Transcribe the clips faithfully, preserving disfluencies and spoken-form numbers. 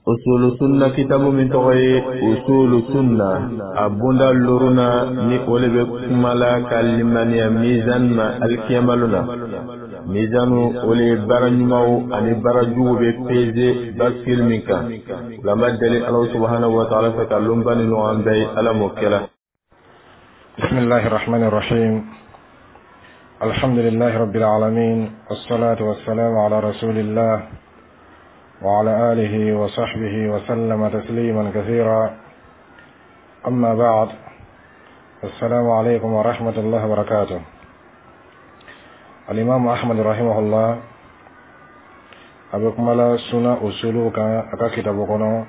Usulu sunna kitabu min tɔgɔ ye Usulu sunna, a bonda loruna ni o le bɛ kuma la ka limaniya mizan ma alikiyamalo na. Mizanu, o le ye baara ɲumanw ani baara jugu bɛ peze bascule min kan. O la, an b'a deli Ala subahanahu wa taala fɛ ka lonba ni ɲɔgɔn bɛɛ ye. Ala m'o kɛra. بسم الله الرحمن الرحيم، الحمد لله رب العالمين، والصلاة والسلام على رسول الله وعلى آله وصحبه وسلم تسليما كثيرا، أما بعد، السلام عليكم ورحمة الله وبركاته. الإمام أحمد رحمه الله a bɛ kuma la suna usulu kan a ka kitabu kɔnɔ,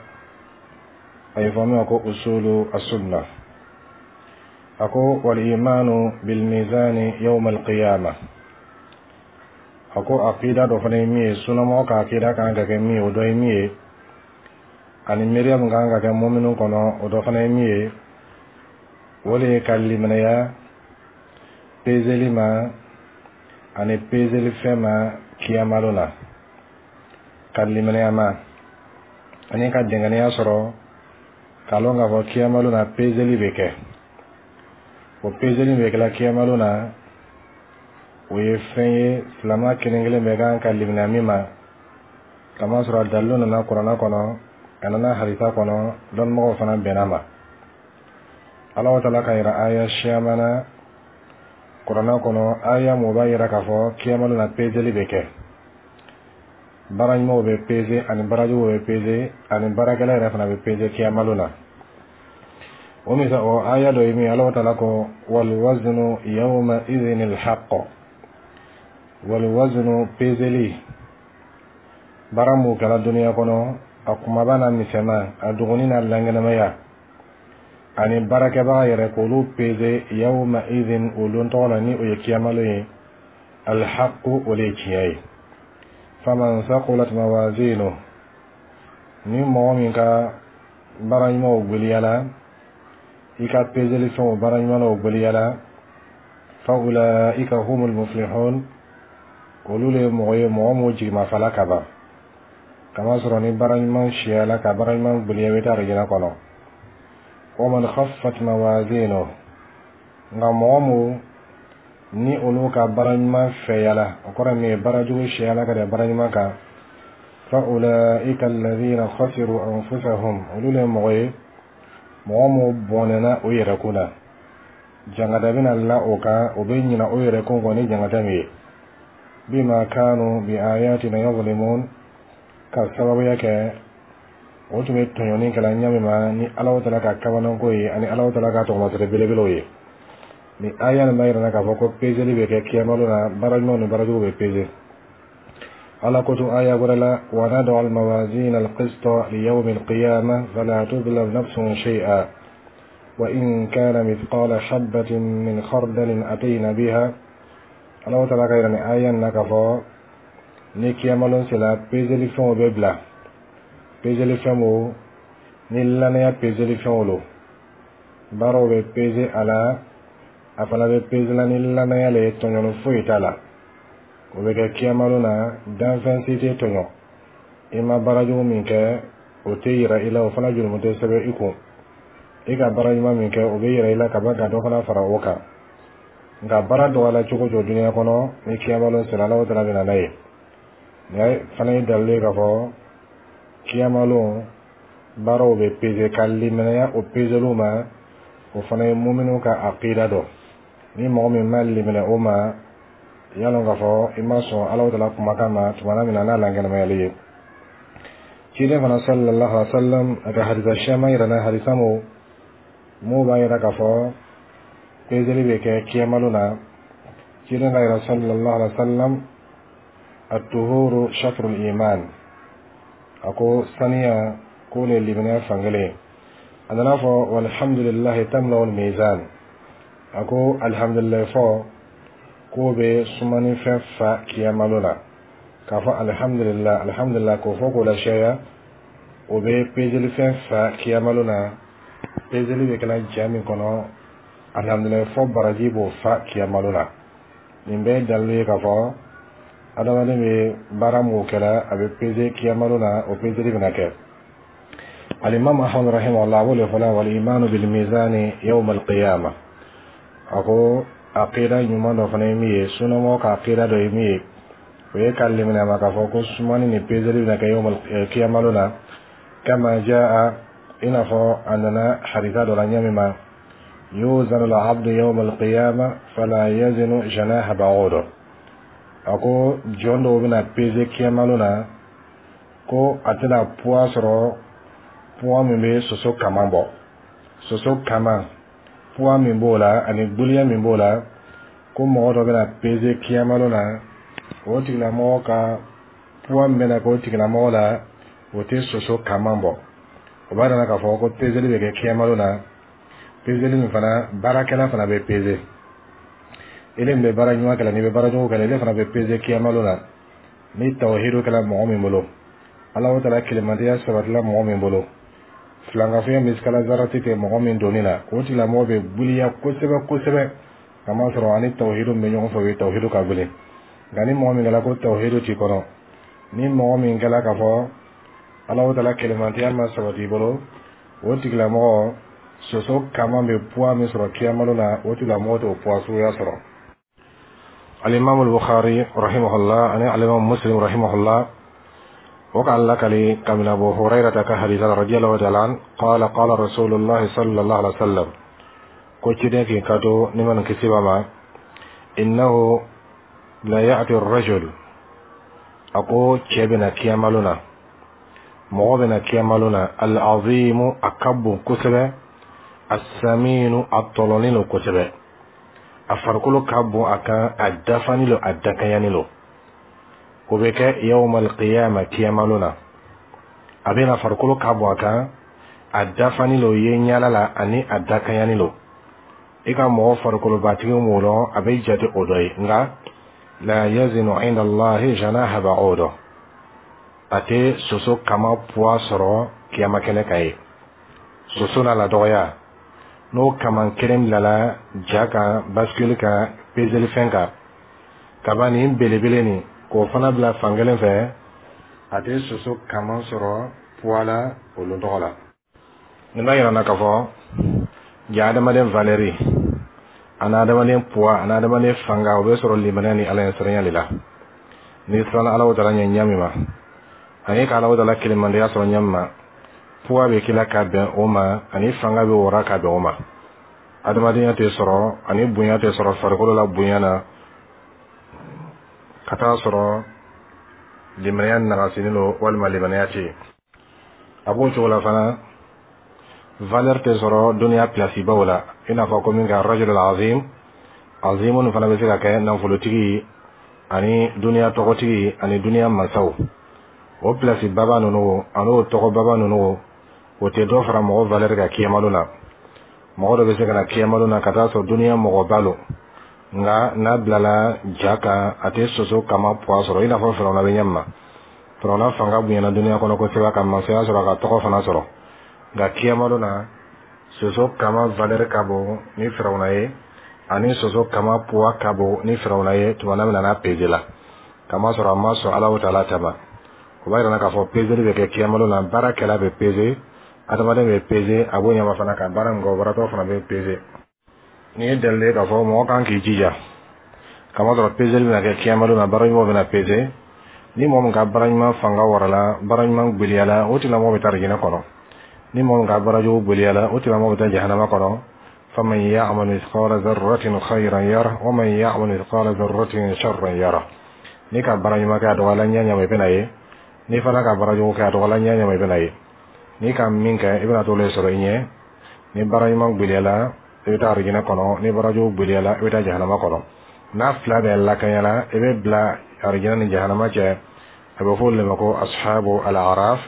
a ye fɔ min ma ko usulu asunna. A ko: والإيمان بالميزان يوم القيامة. A ko akida dɔ fana ye min ye, sunamɔgɔ ka akida kan ka kɛ min ye, o dɔ ye min ye, ani miiriya min kan ka kɛ mɔminu kɔnɔ, o dɔ fana ye min ye, o de ye ka liminɛya pezeli ma ani pezeli fɛn ma kiyamalo la, ka liminɛya ma ani ka dɛngɛniya sɔrɔ k'a lɔn k'a fɔ kiyamalo na pezeli bɛ kɛ. O pezeli bɛ kɛla kiyamalo na, o ye fɛn ye silama kelen kelen bɛɛ kan ka limaniya min ma, kamasɔrɔ a dalilu nana kuranɛ kɔnɔ, a nana hadisa kɔnɔ, dɔnnibagaw fana bɛnna ma. Ala taala ka yira aya siyaman na kuranɛ kɔnɔ, aya mun b'a yira k'a fɔ kiyamalo na pezeli bɛ kɛ, baara ɲumanw bɛ peze ani baara juguw bɛ peze ani baarakɛla yɛrɛ fana bɛ peze kiyamalo na. O misa o aya dɔ ye min, Ala taala ko: والوزن يومئذ الحق. والوزن, pezeli, baara mun kɛra duniya kɔnɔ, a kumaba n'a misɛnman, a dogoni n'a lankɛnɛmaya, ani baarakɛbaga yɛrɛ, k'olu peze, يومئذ, o don tɔgɔ la, ni o ye kiyamalo ye, الحق, o de ye tiɲɛ ye. فمن ثقلت موازينه, ni mɔgɔ min ka baara ɲumanw gweliyala, i ka pezeli fɛnw baara ɲumanw gweliyala, فأولئك هم المفلحون, olu le ye mɔgɔ ye, mɔgɔ m'o jigimafala ka ban, kamasɔrɔ ni baara ɲuman siyala ka baara ɲuman gweliya, i bɛ taa arijinɛ kɔnɔ. ومن خفت موازينه, nka mɔgɔ mu ni olu ka baara ɲuman fɛyala, o kɔrɔ min ye baara jugu siyala ka da baara ɲuman kan, فأولئك الذين خسروا أنفسهم, olu le ye mɔgɔ ye, mɔgɔ mu bɔnɛna o yɛrɛkun na. Jangata bɛna la o kan, o bɛ ɲina o yɛrɛkun kɔ ni jangata min ye, بما كانوا بآياتنا يظلمون, ka sababuya kɛ o tun bɛ tɔɲɔni kɛla ɲa min ma ni Ala taala ka kabanako ye ani Ala taala ka tɔgɔmasɛrɛ belebelew ye. Ni aya nin b'a yira k'a fɔ ko pezeli bɛ kɛ kiyamalo la, baara ɲumanw ni baara juguw bɛ peze. Ala ko tun aya wɛrɛ la: ونضع الموازين القسط ليوم القيامة فلا تظلم نفس شيئا وإن كان مثقال حبة من خردل أتينا بها. Ala taala ka yira ni aya nin na k'a fɔ ni kiyamalon sera, pezeli fɛnw bɛ bila, pezeli fɛn o ni lanaya pezeli fɛnw lo, baaraw bɛ peze a la, a fana bɛ peze la ni lanaya le ye, tɔɲɔni foyi t'a la. O bɛ kɛ kiyamalon na, danfɛn si tɛ tɔɲɔ. I ma baara jugu min kɛ, o tɛ yira i la, o fana jurumu tɛ sɛbɛn i kun. I ka baara ɲuman min kɛ, o bɛ yira i la ka ban ka dɔ fana fara o kan. Nka baara dɔgɔyala cogo o cogo duniya kɔnɔ, ni kiyamalon sera, Ala taala bɛ na n'a ye. Nin fana ye dalilu ye k'a fɔ kiyamalon baaraw bɛ peze. Ka liminɛya o pezeliw ma, o fana ye muminu ka akida dɔ. Ni mɔgɔ min ma liminɛ o ma, i y'a lɔn k'a fɔ i ma sɔn Ala taala kumakan ma tuma min na n'a lankɛnɛmayali ye. Ciden fana صلى الله عليه وسلم a ka hadisa siyaman yira na, hadisa mo mun b'a yira k'a fɔ pezeli bɛ kɛ kiyamalo na. Ciden ka yira صلى الله عليه وسلم: الطهور شطر الإيمان. A ko saniya k'o le limaniya fankelen. A nana fɔ: والحمد لله تملأ الميزان. A ko alhamdulilayi fɔ k'o bɛ sumani fɛn fa kiyamalo la. K'a fɔ alhamdulillah, alhamdulillah, k'o fɔ k'o lasiyaya, o bɛ pezeli fɛn fa kiyamalo na. Pezeli bɛ kɛla ja min kɔnɔ, alhamdulilayi fɔ baraji b'o fa kiyamalo la. Nin bɛɛ ye dalilu ye k'a fɔ adamaden bɛ baara mun kɛla, a bɛ peze kiyamalo la, o pezeli bɛna kɛ. Alimami Ahmad rahimahullah, a b'o le fɔla: wal imanu bil mizani yawm al qiyamah. A ko aqida ɲuman dɔ fana ye min ye, sunamɔgɔ ka aqida dɔ ye min ye, o ye ka limaniya ma k'a fɔ ko sumani ni peseli bɛna kɛ yawm al qiyamah na, kama jaa, i n'a fɔ a nana hadisa dɔ la ɲɛ min ma: yuzanu al abdu yawm al qiyamah fala yazinu janaha ba'udah. A ko jɔn dɔw bɛna peze kiyamalo na, ko a tɛna poids sɔrɔ, poids min bɛ soso kaman bɔ. Soso kaman, poids min b'o la ani gbuliya min b'o la, ko mɔgɔ dɔ bɛna peze kiyamalo na, o tigilamɔgɔ ka poids min bɛna k'o tigilamɔgɔ la, o tɛ soso kaman bɔ. O b'a yira k'a fɔ ko pezeli bɛ kɛ kiyamalo na. Pezeli min fana, baarakɛla fana bɛ peze. Ile min bɛ baara ɲuman kɛ la, n'i bɛ baara jugu kɛ la, ile fana bɛ peze kiyamalo la. Ni tawhidu kɛla mɔgɔ min bolo, Ala taala kelenmatiya sabatila mɔgɔ min bolo, filankafoya misikala zarati tɛ mɔgɔ min donni la, o tigilamɔgɔ bɛ gbuliya kosɛbɛ kosɛbɛ, kamasɔrɔ ani tawhidu min bɛ ɲɔgɔn fɛ, o ye tawhidu ka gbele. Nka ni mɔgɔ min kɛla ko tawhidu t'i kɔnɔ, ni mɔgɔ min kɛla k'a fɔ Ala taala kelenmatiya ma sabati i bolo, o tigilamɔgɔ, soso kaman bɛ poids min sɔrɔ kiyamalo la, o tigilamɔgɔ t'o poids suguya sɔrɔ. Alimami Bukhari rahimahullah ani alimami Muslim rahimahullah, o k'a lakali kabini Abu Hurairata ka hadisa radiyallahu ta'ala an qala qala Rasulullah sallallahu alaihi wasallam, ko ciden k'i kanto ni man kisi ba ma: innahu la ya'ti ar-rajul, a ko cɛ bɛna kiyamalo na, mɔgɔ bɛna kiyamalo na, al-azimu, a ka bon kosɛbɛ, as-saminu, a tɔlɔlen don kosɛbɛ, a farikolo ka bon a kan, a dafani lo, a dakanyani lo. O bɛ kɛ yawmal qiyama, kiyamalo na. A bɛna farikolo ka bon a kan, a dafani lo ye ɲala la, ani a dakanyani lo. I ka mɔgɔ farikolobatigi mun dɔn, a bɛ jate o dɔ ye, nka la yazinu inda Allahi janaha ba'udah, a tɛ soso kama poids sɔrɔ kiyama kɛnɛ kan ye. Soso n'a la dɔgɔya, n'o kaman kelen bilala ja kan, bascule kan, pezelifɛn kan, kaba nin belebele nin, k'o fana bila fankelen fɛ, a tɛ soso kaman sɔrɔ poids la o lon tɔgɔ la. Nin b'a yira n na k'a fɔ ja adamaden valeur ani adamaden poids ani adamaden fanga, o bɛ sɔrɔ limaniya ni Ala ɲɛsiranya de la. N'i siranna Ala taala ɲɛ ɲɛ min ma, ani ka Ala taala kelenmandiya sɔrɔ ɲɛ min ma, poids bɛ k'i la ka bɛn o ma, ani fanga bɛ wara ka bɛn o ma. Adamadenya tɛ sɔrɔ ani bonya tɛ sɔrɔ farikolo la bonya na ka taa sɔrɔ limaniya nagasinen don walima limaniya tɛ yen. A b'o cogo la fana, valeur tɛ sɔrɔ duniya place baw la, i n'a fɔ ko min ka rajul azim. Azimu fana bɛ se ka kɛ nafolotigi ani duniya tɔgɔtigi ani duniya masaw. O place baba ninnu ani o tɔgɔ baba ninnu, o tɛ dɔ fara mɔgɔ valeur kan kiyamalo la. Mɔgɔ dɔ bɛ se ka na kiyamalo na ka taa sɔrɔ duniya mɔgɔba lo, nka n'a bilala ja kan, a tɛ soso kama poids sɔrɔ, i n'a fɔ Firawuna bɛ ɲɛ min ma. Firawuna fanga bonyana duniya kɔnɔ kosɛbɛ, ka masaya sɔrɔ, ka tɔgɔ fana sɔrɔ, nka kiyamalo na, soso kama valeur ka bon ni Firawuna ye, ani soso kama poids ka bon ni Firawuna ye tuma min na n'a peze la, kamasɔrɔ a ma sɔn Ala taala ta ma. O b'a yira k'a fɔ peseli bɛ kɛ kiyamalo la. Baarakɛla bɛ peze, adamaden bɛ peze, a b'o ɲɛma fana ka baara min kɛ, o baratɔ fana bɛ peze. Nin ye dalili ye k'a fɔ mɔgɔ kan k'i jija, kamasɔrɔ peseli bɛna kɛ kiyamalo na, baara ɲumanw bɛna peze. Ni mɔgɔ min ka baara ɲuman fanga warala, baara ɲuman gbeliyala, o tigilamɔgɔ bɛ taa arijinɛ kɔnɔ. Ni mɔgɔ min ka baara jugu gbeliyala, o tigilamɔgɔ bɛ taa jahanama kɔnɔ. faman ya'mal mithqala dharratin khayran yara wa man ya'mal mithqala dharratin sharran yara. N'i ka baara ɲuman kɛ, a dɔgɔyala ɲɛ ɲɛ ma, i bɛna ye. N'i fana ka baara jugu kɛ, a dɔgɔyala ɲɛ ɲɛ ma, i bɛna ye. N'i ka min kɛ, i bɛna t'o le sɔrɔ i ɲɛ. Ni baara ɲuman gbeliyala, i bɛ taa arijinɛ kɔnɔ. Ni baara jugu gbeliyala, i bɛ taa jahanama kɔnɔ. N'a fila bɛɛ lakanyala, i bɛ bila arijinɛ ni jahanama cɛ. A bɛ fɔ olu de ma ko ashabu al-araf.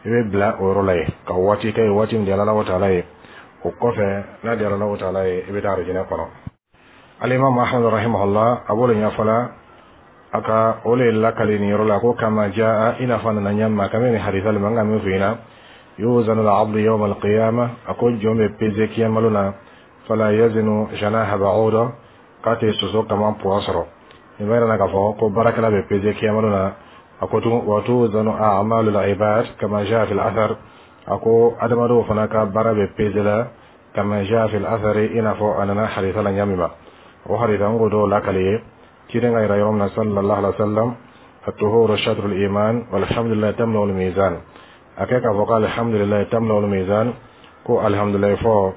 I bɛ bila o yɔrɔ la yen ka waati kɛ yen, waati min diyara Ala taala ye. O kɔfɛ, n'a diyara Ala taala ye, i bɛ taa arijinɛ kɔnɔ. Alimami Ahmad rahimahullah, a b'o de ɲɛfɔ a ka o le lakali nin yɔrɔ la ko kama jaa, i n'a fɔ a nana ɲɛ ma kabini nin hadisa le ma n ka min f'i ɲɛna: yuzanu al-abdu yawma al-qiyamah, a ko jɔn bɛ peze kiyamalo na, fala yazinu janaha ba'uda, k'a tɛ soso kama poids sɔrɔ. Nin b'a yira k'a fɔ ko baarakɛla bɛ peze kiyamalo na. A ko tugun wa tuzanu a'malu al-ibad kama jaa fil athar. A ko adamadenw fana ka baara bɛ peze la, kama jaa fil athari, i n'a fɔ a nana hadisa la ɲa min ma. O hadisa n k'o dɔw lakale ye. Ciden ka yira yɔrɔ min na, sallallahu alaihi wa sallam, الطهور شطر الإيمان والحمد لله تملأ الميزان. A kɛ k'a fɔ ko alhamdulilayi tamla'u الميزان, ko alhamdulilayi fɔ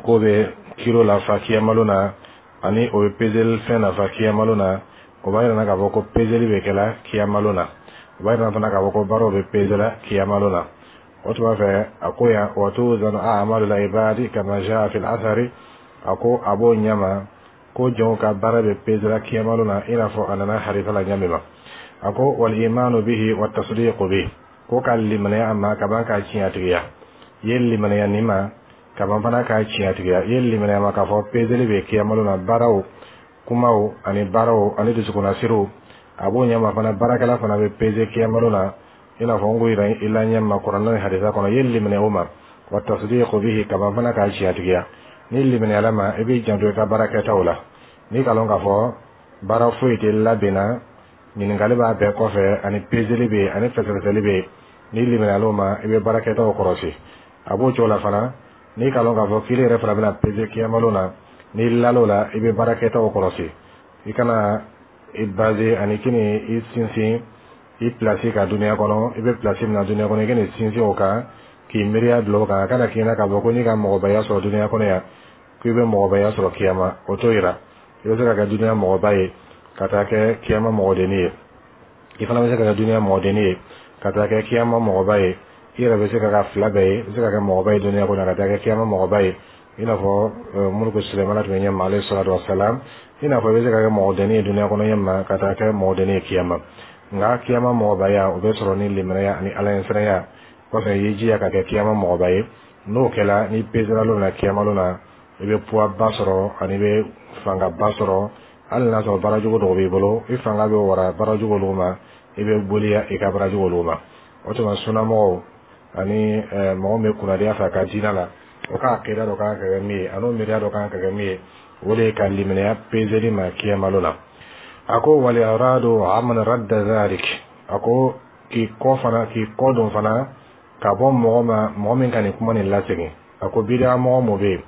k'o bɛ kilo lafa kiyamalo na, ani o bɛ pezeli fɛn nafa kiyamalo na. O b'a yira k'a fɔ ko pezeli bɛ kɛla kiyamalo na. O b'a yira fana k'a fɔ ko baaraw bɛ pezela kiyamalo na. O tuma fɛ, a ko yan wa tuzanu a'malu al-ibadi kama jaa fil athari. A ko a b'o ɲɛma ko jɔnw ka baara bɛ pezela kiyamalo na, i n'a fɔ a nana hadisa la ɲɛ min ma. A ko wal imanu bihi wa tasdiqu bihi, ko ka limaniya a ma ka ban k'a tiɲɛtigiya. I ye limaniya nin ma ka ban fana k'a tiɲɛtigiya. I ye limaniya ma k'a fɔ pezeli bɛ kiyamalo na, baaraw, kumaw ani baaraw ani dusukunnasiriw. A b'o ɲɛma fana, baarakɛla fana bɛ peze kiyamalo na, i n'a fɔ n ko yira i la ɲɛ ma kuranɛ ni hadisa kɔnɔ. I ye limaniya o ma, wa tasdiqu bihi, ka ban fana k'a tiɲɛtigiya. Ni limaniyala ma, i b'i janto i ka baarakɛtaw la. N'i ka lɔn k'a fɔ baara foyi tɛ labɛnna, ɲininkali b'a bɛɛ kɔfɛ, ani pezeli bɛ yen, ani fɛsɛfɛsɛli bɛ yen. N'i limaniyala o ma, i bɛ baarakɛtaw kɔlɔsi. A b'o cogo la fana, n'i ka lɔn k'a fɔ k'ile yɛrɛ fana bɛna peze kiyamalo na, n'i lal'o la, i bɛ baarakɛtaw kɔlɔsi. I kana i baser ani k'i i sinsin i pilasi ka duniya kɔnɔ. I bɛ pilasi min na duniya kɔnɔ, i kana sinsin o kan k'i miiriya bila o kan. A kana k'i na k'a fɔ ko n'i ka mɔgɔbaya sɔrɔ duniya kɔnɔ yan, k'i bɛ mɔgɔbaya sɔrɔ kiyama. O t'o yira. I bɛ se ka kɛ duniya mɔgɔba ye ka taa kɛ kiyama mɔgɔdenni ye. I fana bɛ se ka kɛ duniya mɔgɔdenni ye ka taa kɛ kiyama mɔgɔba ye. I yɛrɛ bɛ se ka kɛ fila bɛɛ ye. I bɛ se ka kɛ mɔgɔba ye duniya kɔnɔ ka taa kɛ kiyama mɔgɔba ye, i n'a fɔ muluku Sulemana tun bɛ ɲɛ ma, alayhi salatu wa salam. I n'a fɔ i bɛ se ka kɛ mɔgɔdenni ye duniya kɔnɔ ɲɛ ma ka taa kɛ mɔgɔdenni ye kiyama. Nka kiyama mɔgɔbaya, o bɛ sɔrɔ ni limaniya ani ala ɲɛsiranya kɔfɛ. I y'i jija ka kɛ kiyama mɔgɔba ye. N'o kɛla, n'i pesera lon na kiyama lon na, i bɛ poids ba sɔrɔ ani i bɛ fangaba sɔrɔ. Hali n'a sɔrɔ baara jugu dɔw b'i bolo, i fanga bɛ wara baara jugu olu ma, i bɛ boliya i ka baara jugu olu ma. O tuma, sunnamɔgɔw ani mɔgɔ min bɛ kunnadiya fɛ a ka diinɛ la, o ka akida dɔ kan ka kɛ min ye, ani o miiriya dɔ kan ka kɛ min ye, o de ye ka limaniya pezeli ma kiyamalo la. A ko wal iradu amman radda dhalik. A ko k'i kɔ fana, k'i kɔ don fana ka bɔ mɔgɔ ma, mɔgɔ min ka nin kuma nin lasegin. A ko bidaa mɔgɔ mɔ bɛ yen,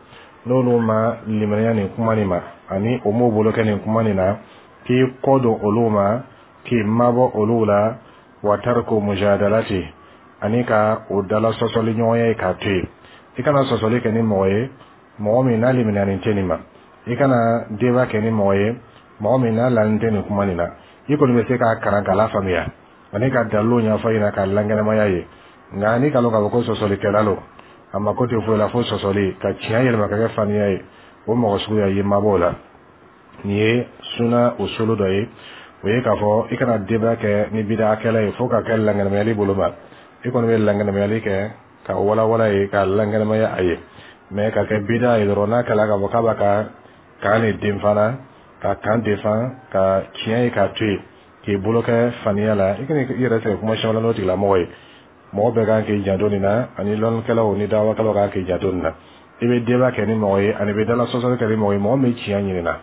n'olu ma limaniya nin kuma nin ma, ani o m'o bolo kɛ nin kuma nin na, k'i kɔ don olu ma, k'i mabɔ olu la. Wa tarku mujadalati, ani ka o dala sɔsɔli ɲɔgɔnya ye k'a to yen. I kana sɔsɔli kɛ ni mɔgɔ ye, mɔgɔ min n'a limaniyalen tɛ nin ma. I kana débat kɛ ni mɔgɔ ye, mɔgɔ min n'a lalen tɛ nin kuma nin na. I kɔni bɛ se k'a kalan k'a lafaamuya ani ka dalilu ɲɛfɔ ɲɛna k'a lankɛnɛmaya ye. Nka n'i ka lɔn k'a fɔ ko sɔsɔlikɛla lo, a mako tɛ foyi la fo sɔsɔli ka tiɲɛ yɛlɛma ka kɛ faniya ye, o mɔgɔ suguya, i mabɔ o la. Nin ye suna usulu dɔ ye. O ye k'a fɔ i kana débat kɛ ni bidakɛla ye fo ka kɛ lankɛnɛmayali bolo ma. I kɔni bɛ lankɛnɛmayali kɛ ka walawala ye, ka lankɛnɛmaya a ye. Mais ka kɛ bida ye dɔrɔn, n'a kɛla k'a fɔ k'a b'a ka kan de den fana ka kan defan ka tiɲɛ ye k'a to yen, k'i bolo kɛ faniya la, i kana i yɛrɛ sɛgɛn kuma caman n'o tigilamɔgɔ ye. Mɔgɔ bɛɛ kan k'i janto nin na, ani lɔnnikɛlaw ni dawakɛlaw kan k'i janto nin na. I bɛ débat kɛ ni mɔgɔ ye ani i bɛ dala sɔsɔli kɛ ni mɔgɔ ye, mɔgɔ min bɛ tiɲɛ ɲini na,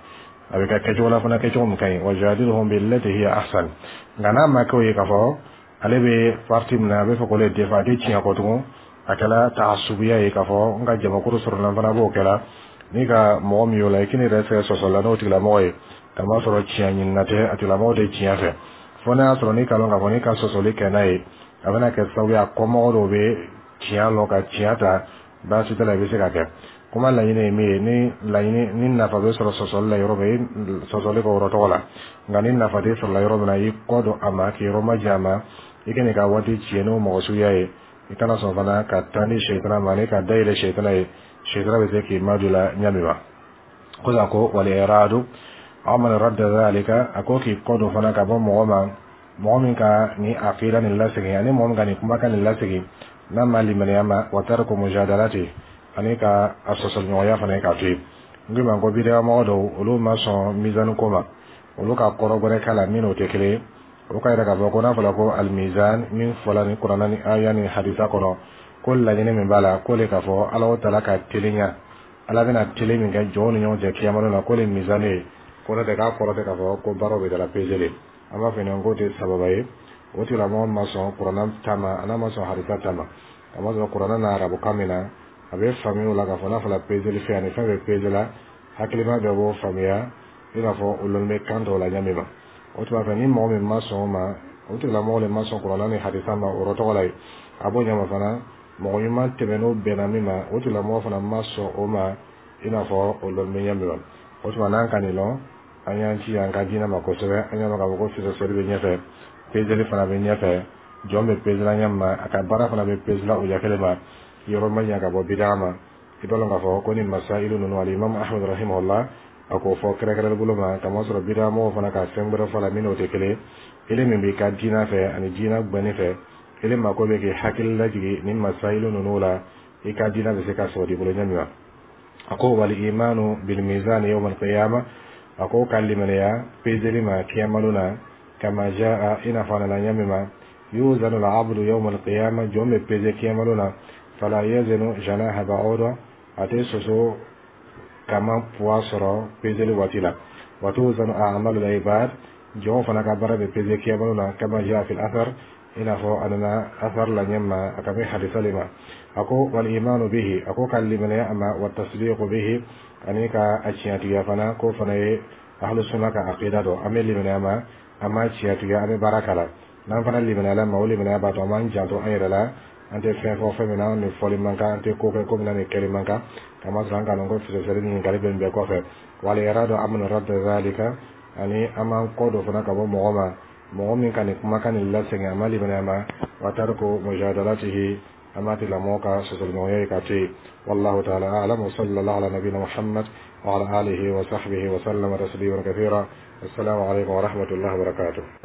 a bɛ kɛ kɛcogo la fana, kɛcogo min ka ɲi, wajadilhum billati hiya ahsan. Nka n'a ma kɛ o ye, k'a fɔ ale bɛ parti min na, a bɛ fɛ k'o le défend, a tɛ tiɲɛ kɔ tugun, a kɛla taasubuya ye k'a fɔ n ka jamakulu sɔrɔ la, n fana b'o kɛla. N'i ka mɔgɔ min y'o la, i k'i yɛrɛ sɛgɛ sɔsɔ la n'o tigilamɔgɔ ye, k'a sɔrɔ tiɲɛ ɲinina tɛ, a tigilamɔgɔ tɛ tiɲɛ fɛ. Fo n'a y'a sɔrɔ n'i ka lɔn k'a fɔ n'i ka sɔsɔli kɛ n'a ye, a bɛna kɛ sababu ye a kɔmɔgɔ dɔw bɛ tiɲɛ lɔn ka tiɲɛ ta, baasi t'a la, i bɛ se ka kɛ. Kuma laɲini ye min ye, ni laɲini ni nafa bɛ sɔrɔ sɔsɔli la yɔrɔ min, i sɔsɔli kɛ o yɔrɔ tɔgɔ la. Nka ni nafa tɛ sɔrɔ la yɔrɔ min na, i kɔ don a ma k'i yɔrɔ majan a ma. I kana i ka waati tiɲɛ n'o mɔgɔ suguya ye. I kana sɔn fana ka taa ni sɛtana ma, ani ka dayɛlɛ sɛtana ye. Sɛtana bɛ se k'i madon la ɲa min ma ko ko wal iradu amman radda zalika. A ko k'i kɔ don fana ka bɔ mɔgɔ ma, mɔgɔ min ka ni aqida nin lasegin, ani mɔgɔ min ka nin kumakan nin lasegin n'a ma limaniya ma, wa tarku mujadalati, ani ka a sɔsɔliɲɔgɔnya fana k'a to yen. N ko ma ko bidaya mɔgɔ dɔw, olu ma sɔn mizani ko ma. Olu ka kɔrɔ wɛrɛ k'a la min n'o tɛ kelen ye. O ka yɛrɛ k'a fɔ ko n'a fɔra ko alimizan min fɔla ni kuranna ni aya ni hadisa kɔnɔ, ko laɲini min b'a la, k'o le k'a fɔ Ala taala ka teliya, Ala bɛna tele min kɛ jɔnw ni ɲɔgɔn cɛ kiyama na, k'o le mizani ye. Ko n'o tɛ, k'a kɔrɔ tɛ k'a fɔ ko baaraw bɛ taa pesé. An b'a fɔ ɲɛna k'o tɛ sababa ye. O tigilamɔgɔ ma sɔn Kuranna ta ma, a n'a ma sɔn hadisa ta ma. Kamasɔrɔ Kuranna na arabukan min na, a bɛ faamuya o la k'a fɔ n'a fɔra peseli fɛn ani fɛn bɛ peze la, hakilima bɛɛ b'o faamuya, i n'a fɔ o lɔnni bɛ kan tɔw la ɲɛ min ma. O tuma fɛ, ni mɔgɔ min ma sɔn o ma, o tigilamɔgɔ de ma sɔn Kuranna ni hadisa ma o yɔrɔ tɔgɔ la ye. A b'o ɲɛ ma fana, mɔgɔ ɲuman tɛmɛn'o bɛnna min ma, o tigilamɔgɔ fana ma sɔn o ma, i n'a fɔ o lɔnni bɛ ɲɛ min ma. O tuma n'an ka nin lɔn, an y'an ci an ka diinɛ ma kosɛbɛ. An y'a dɔn k'a fɔ ko fisasɛri bɛ ɲɛfɛ, peseli fana bɛ ɲɛfɛ, jɔn bɛ pesela ɲɛ ma, a ka baara fana bɛ pesela o ɲɛ kelen ma. Yɔrɔ ma ɲɛ ka bɔ bidaa ma. I b'a dɔn k'a fɔ ko ni masailu ninnu, alimami Ahmad rahimahullah, a k'o fɔ kɛrɛnkɛrɛnni bolo ma, kamasɔrɔ bidaa mɔgɔw fana ka fɛn wɛrɛ fɔ la min n'o tɛ kelen. Ele min b'i ka diinɛ fɛ ani diinɛ gbɛnni fɛ, ele mako bɛ k'i hakili lajigin ni masailu ninnu la, i ka diinɛ bɛ se ka sɔrɔ i bolo ɲɛ min ma. A ko wal imanu bil mizan yawm al qiyamah, a ko ka limaniya peseli ma kiyamalo na, kama jaa, i n'a fɔ a nana ɲɛ min ma, yuzanu al abdu yawm al qiyamah, jɔn bɛ peze kiyamalo na, fala yazinu janaha ba'uda, a tɛ soso kama poids sɔrɔ peseli waati la. Wa tuzanu a'malu al ibad, jɔn fana ka baara bɛ peze kiyamalo na, kama jaa fil athar, i n'a fɔ a nana athar la ɲɛ ma, a ka bɛ hadisa le ma. A ko wal imanu bihi, a ko ka limaniya a ma, wa tasdiqu bihi, ani ka a tiɲɛtigiya fana, k'o fana ye ahlu sunna ka aqida dɔ. An bɛ limaniya ma, an b'a tiɲɛtigiya, an bɛ baara k'a la. N'an fana limaniyala ma, o limaniya b'a to an b'an janto an yɛrɛ la, an tɛ fɛn fɔ fɛn min na ni fɔli man kan, an tɛ ko kɛ ko min na ni kɛli man kan, kamasɔrɔ an k'a dɔn ko fisasɛri ɲininkali bɛ nin bɛɛ kɔfɛ. Wal iradu amman radda zalika, ani an b'an kɔ dɔ fana ka bɔ mɔgɔ ma, mɔgɔ min ka nin kumakan nin lasegin, a ma limaniya ma, wa tarku mujadalatihi, an b'a tigilamɔgɔ ka sɔsɔliɲɔgɔnya ye ka to yen. Wallahu ta'ala a'lam, wa sallallahu ala nabiyina Muhammad wa ala alihi wa sahbihi wa sallama tasliman kathira. Assalamu alaikum wa rahmatullahi wa barakatuh.